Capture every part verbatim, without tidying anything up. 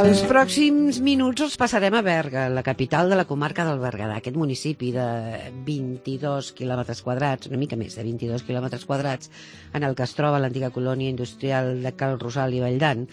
Els pròxims minuts els passarem a Berga, la capital de la comarca del Berguedà, aquest municipi de vint-i-dos quilòmetres quadrats, una mica més de vint-i-dos quilòmetres quadrats, en el que es troba l'antiga colònia industrial de Cal Rosal i Valldan.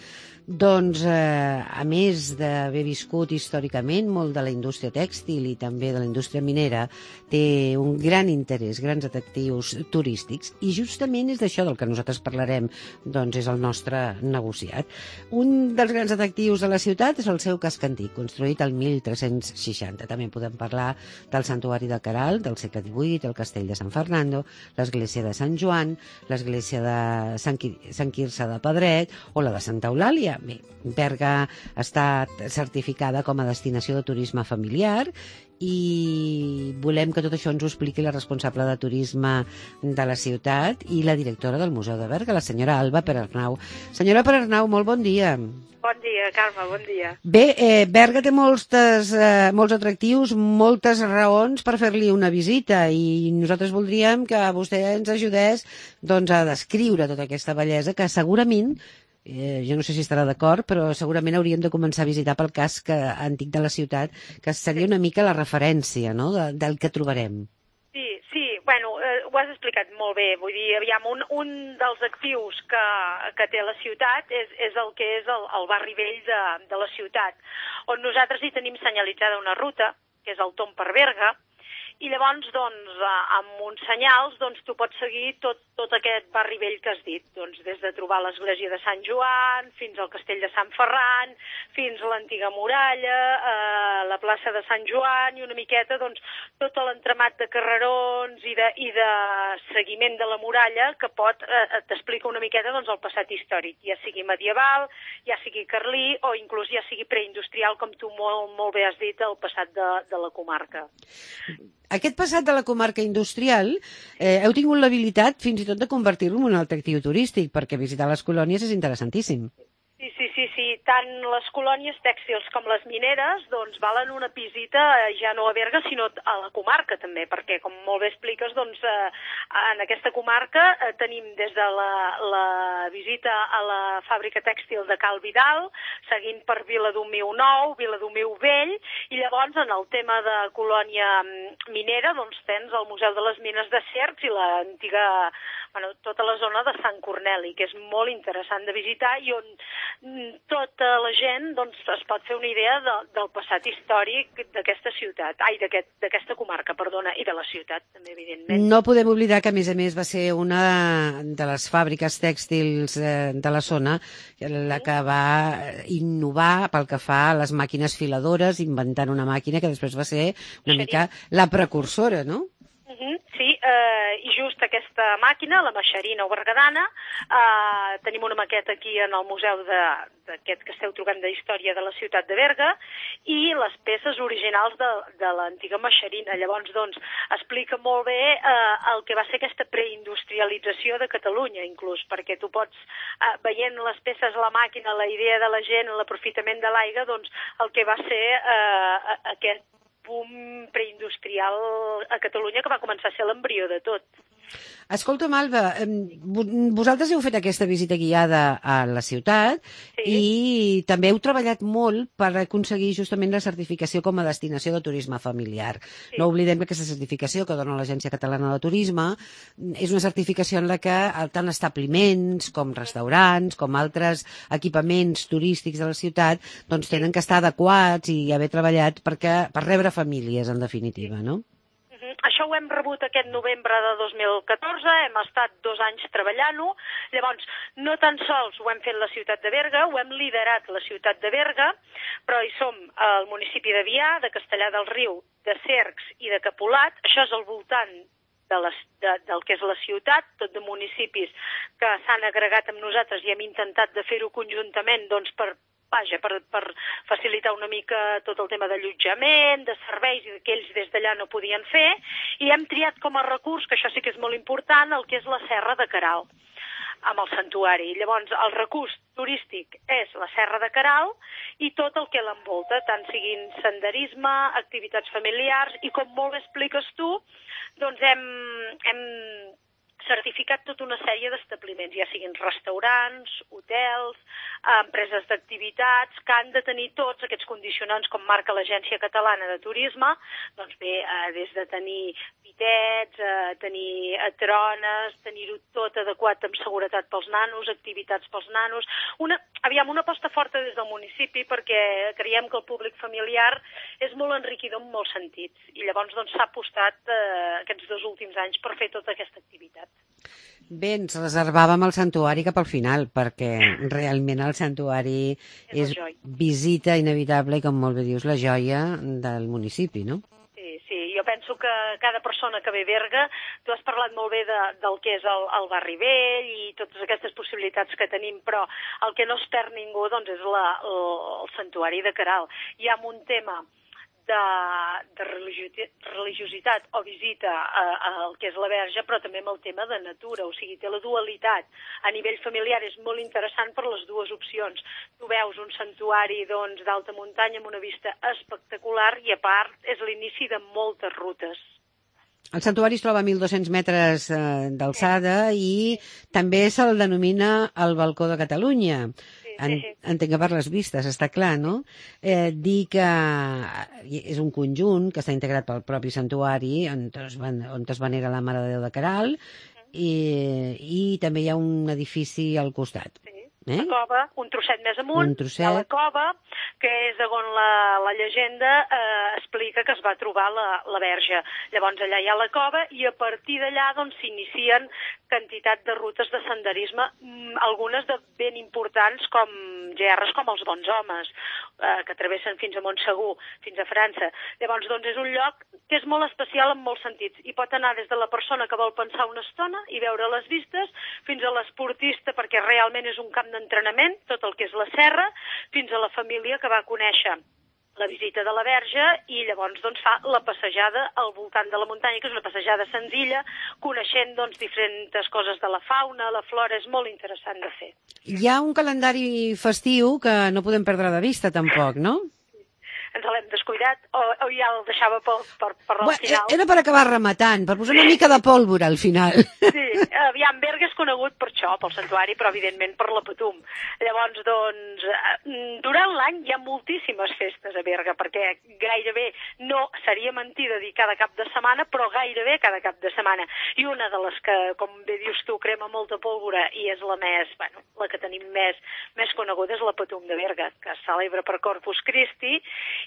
Doncs, eh, a més d'haver viscut històricament molt de la indústria tèxtil i també de la indústria minera, té un gran interès, grans atractius turístics, i justament és d'això del que nosaltres parlarem, doncs és el nostre negociat. Un dels grans atractius de la ciutat és el seu casc antic, construït el mil tres-cents seixanta. També podem parlar del Santuari de Caral, del segle divuit, el Castell de San Fernando, l'església de Sant Joan, l'església de Sant, Qui Sant Quirze de Pedret o la de Santa Eulàlia. Bé, Berga està certificada com a destinació de turisme familiar i volem que tot això ens ho expliqui la responsable de turisme de la ciutat i la directora del Museu de Berga, la senyora Alba Perarnau. Senyora Perarnau, molt bon dia. Bon dia, Carme, bon dia. Bé, eh, Berga té molts, eh, molts atractius, moltes raons per fer-li una visita i nosaltres voldríem que vostè ens ajudés doncs, a descriure tota aquesta bellesa que segurament Eh, jo no sé si estarà d'acord, però segurament hauríem de començar a visitar pel casc antic de la ciutat, que seria una mica la referència, no?, de, del que trobarem. Sí, sí, bueno, eh, ho has explicat molt bé. Vull dir, aviam, un, un dels actius que, que té la ciutat és, és el que és el, el barri vell de, de la ciutat, on nosaltres hi tenim senyalitzada una ruta, que és el Tomb per Berga, i llavors, doncs, amb uns senyals, doncs, tu pots seguir tot, tot aquest barri vell que has dit, doncs, des de trobar l'església de Sant Joan, fins al castell de Sant Ferran, fins a l'antiga muralla, eh, la plaça de Sant Joan, i una miqueta, doncs, tot l'entramat de carrerons i de, i de seguiment de la muralla que pot, eh, t'explica una miqueta, doncs, el passat històric, ja sigui medieval, ja sigui carlí, o inclús ja sigui preindustrial, com tu molt, molt bé has dit, el passat de, de la comarca. Aquest passat de la comarca industrial, eh, heu tingut l'habilitat fins i tot de convertir-lo en un atractiu turístic, perquè visitar les colònies és interessantíssim. Sí, sí, sí, sí. Tant les colònies tèxtils com les mineres doncs valen una visita ja no a Berga, sinó a la comarca també, perquè, com molt bé expliques, doncs eh, en aquesta comarca eh, tenim des de la, la visita a la fàbrica tèxtil de Cal Vidal, seguint per Viladomiu Nou, Viladomiu Vell, i llavors en el tema de colònia minera doncs tens el Museu de les Mines de Cercs i l'antiga, bueno, tota la zona de Sant Corneli, que és molt interessant de visitar i on tota la gent doncs, es pot fer una idea de, del passat històric d'aquesta ciutat, ai, d'aquesta aquest, comarca, perdona, i de la ciutat, també, evidentment. No podem oblidar que, a més a més, va ser una de les fàbriques tèxtils eh, de la zona la que va innovar pel que fa a les màquines filadores, inventant una màquina que després va ser una Xeria. mica la precursora, no? Sí, eh, i just aquesta màquina, la Maxerina o Berguedana, eh, tenim una maqueta aquí en el museu d'aquest que esteu trobant de història de la ciutat de Berga, i les peces originals de, de l'antiga Maxerina. Llavors, doncs, explica molt bé eh, el que va ser aquesta preindustrialització de Catalunya, inclús, perquè tu pots, eh, veient les peces a la màquina, la idea de la gent, l'aprofitament de l'aigua, doncs, el que va ser eh, aquest boom preindustrial a Catalunya que va començar a ser l'embrió de tot. Escolta'm, Alba, vosaltres heu fet aquesta visita guiada a la ciutat sí. i també heu treballat molt per aconseguir justament la certificació com a destinació de turisme familiar. Sí. No oblidem que aquesta certificació que dona l'Agència Catalana de Turisme és una certificació en la que tant establiments com restaurants, com altres equipaments turístics de la ciutat, doncs tenen que estar adequats i haver treballat perquè, per rebre famílies, en definitiva, no? Això ho hem rebut aquest novembre de dos mil catorze, hem estat dos anys treballant-ho. Llavors, no tan sols ho hem fet la ciutat de Berga, ho hem liderat la ciutat de Berga, però hi som al municipi de Vià, de Castellar del Riu, de Cercs i de Capolat. Això és al voltant de les, de, del que és la ciutat, tot de municipis que s'han agregat amb nosaltres i hem intentat de fer-ho conjuntament doncs, per Vaja, per, per facilitar una mica tot el tema d'allotjament, de serveis que ells des d'allà no podien fer, i hem triat com a recurs, que això sí que és molt important, el que és la Serra de Caral, amb el santuari. Llavors, el recurs turístic és la Serra de Caral i tot el que l'envolta, tant siguin senderisme, activitats familiars, i com molt bé expliques tu, doncs hem... hem certificat tota una sèrie d'establiments, ja siguin restaurants, hotels, empreses d'activitats, que han de tenir tots aquests condicionants com marca l'Agència Catalana de Turisme, doncs bé, eh, des de tenir pitets, eh, tenir trones, tenir-ho tot adequat amb seguretat pels nanos, activitats pels nanos. Una, aviam, una aposta forta des del municipi perquè creiem que el públic familiar és molt enriquidor en molts sentits i llavors doncs s'ha apostat eh, aquests dos últims anys per fer tota aquesta activitat. Bé, ens reservàvem el santuari cap al final, perquè realment el santuari és, és visita inevitable i, com molt bé dius, la joia del municipi, no? Sí, sí, jo penso que cada persona que ve a Berga, tu has parlat molt bé de, del que és el, el barri vell i totes aquestes possibilitats que tenim, però el que no es perd ningú doncs, és la, el, el santuari de Queralt. Hi ha un tema de, de religiositat o visita al que és la Verge, però també amb el tema de natura, o sigui, té la dualitat. A nivell familiar és molt interessant per les dues opcions. Tu veus un santuari doncs, d'alta muntanya amb una vista espectacular i, a part, és l'inici de moltes rutes. El santuari es troba a mil dos-cents metres eh, d'alçada i també se'l denomina el balcó de Catalunya. En, entenc que per les vistes, està clar, no? Eh, dir que és un conjunt que està integrat pel propi santuari on es, van, on es venera la Mare de Déu de Queralt i, i també hi ha un edifici al costat. Sí. Eh? La cova, un trosset més amunt, trosset. Hi ha la cova, que és on la, la llegenda eh, explica que es va trobar la, la Verge. Llavors allà hi ha la cova i a partir d'allà doncs, s'inicien quantitat de rutes de senderisme, algunes de ben importants com gerres com els Bons Homes, eh, que travessen fins a Montsegur, fins a França. Llavors doncs, és un lloc que és molt especial en molts sentits i pot anar des de la persona que vol pensar una estona i veure les vistes fins a l'esportista, perquè realment és un camp d'entrenament, tot el que és la serra, fins a la família que va conèixer la visita de la Verge i llavors doncs, fa la passejada al voltant de la muntanya, que és una passejada senzilla, coneixent doncs, diferents coses de la fauna, la flora, és molt interessant de fer. Hi ha un calendari festiu que no podem perdre de vista tampoc, no? Ens l'hem descuidat o, o ja el deixava per, per, per al bueno, final? Era per acabar rematant, per posar una mica de pólvora al final. Sí, aviam, Berga és conegut per això, pel santuari, però evidentment per la Patum. Llavors, doncs, durant l'any hi ha moltíssimes festes a Berga, perquè gairebé no seria mentir de dir cada cap de setmana, però gairebé cada cap de setmana. I una de les que, com bé dius tu, crema molta pólvora i és la més, bueno, la que tenim més, més coneguda és la Patum de Berga, que es celebra per Corpus Christi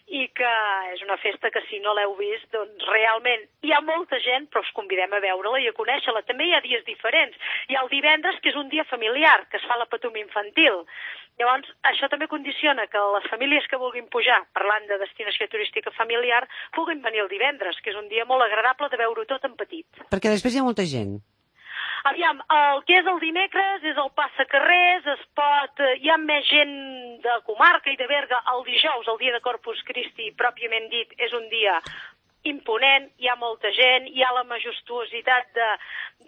i que és una festa que si no l'heu vist, doncs realment hi ha molta gent, però us convidem a veure-la i a conèixer-la. També hi ha dies diferents. Hi ha el divendres, que és un dia familiar, que es fa la Patum infantil. Llavors, això també condiciona que les famílies que vulguin pujar, parlant de destinació turística familiar, puguin venir el divendres, que és un dia molt agradable de veure-ho tot en petit. Perquè després hi ha molta gent. Aviam, el que és el dimecres és el passacarrers, es pot... Hi ha més gent de comarca i de Berga el dijous, el dia de Corpus Christi, pròpiament dit, és un dia imponent, hi ha molta gent, hi ha la majestuositat de,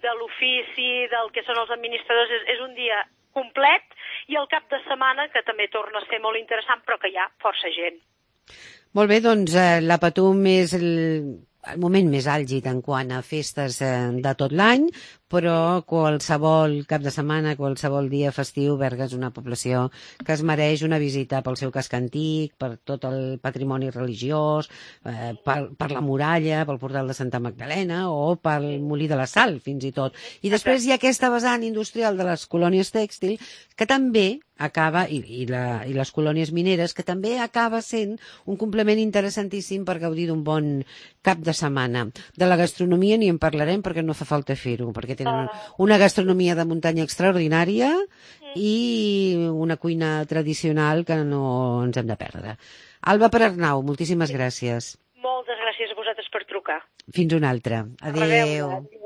de l'ofici, del que són els administradors, és, és un dia complet, i el cap de setmana, que també torna a ser molt interessant, però que hi ha força gent. Molt bé, doncs eh, la Patum és el... el moment més àlgid en quant a festes eh, de tot l'any, però qualsevol cap de setmana, qualsevol dia festiu, Berga és una població que es mereix una visita pel seu casc antic, per tot el patrimoni religiós, eh, per, per la muralla, pel portal de Santa Magdalena o pel Molí de la Sal, fins i tot. I després hi ha aquesta vessant industrial de les colònies tèxtil, que també acaba, i, i, la, i les colònies mineres, que també acaba sent un complement interessantíssim per gaudir d'un bon cap de setmana. De la gastronomia ni en parlarem perquè no fa falta fer-ho, perquè tenen una gastronomia de muntanya extraordinària i una cuina tradicional que no ens hem de perdre. Alba Perarnau, moltíssimes gràcies. Moltes gràcies a vosaltres per trucar. Fins una altra. Adéu. Adéu.